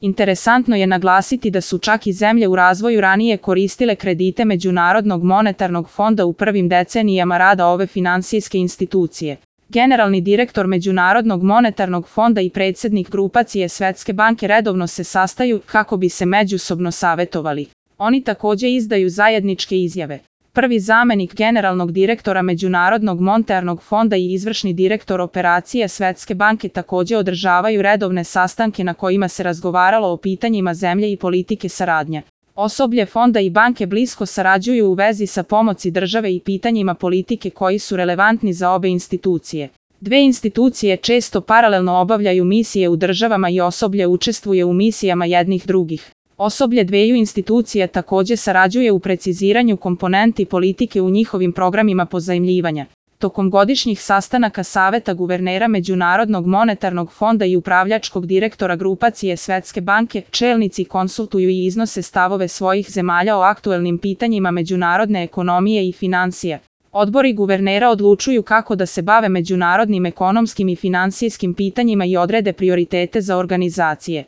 Interesantno je naglasiti da su čak i zemlje u razvoju ranije koristile kredite Međunarodnog monetarnog fonda u prvim decenijama rada ove finansijske institucije. Generalni direktor Međunarodnog monetarnog fonda i predsjednik grupacije Svetske banke redovno se sastaju kako bi se međusobno savjetovali. Oni također izdaju zajedničke izjave. Prvi zamjenik generalnog direktora Međunarodnog monetarnog fonda i izvršni direktor operacije Svetske banke također održavaju redovne sastanke na kojima se razgovaralo o pitanjima zemlje i politike saradnje. Osoblje fonda i banke blisko sarađuju u vezi sa pomoći države i pitanjima politike koji su relevantni za obe institucije. Dve institucije često paralelno obavljaju misije u državama i osoblje učestvuje u misijama jednih drugih. Osoblje dveju institucija također sarađuje u preciziranju komponenti politike u njihovim programima pozajmljivanja. Tokom godišnjih sastanaka Saveta guvernera Međunarodnog monetarnog fonda i upravljačkog direktora grupacije Svetske banke, čelnici konsultuju i iznose stavove svojih zemalja o aktuelnim pitanjima međunarodne ekonomije i financija. Odbori guvernera odlučuju kako da se bave međunarodnim ekonomskim i financijskim pitanjima i odrede prioritete za organizacije.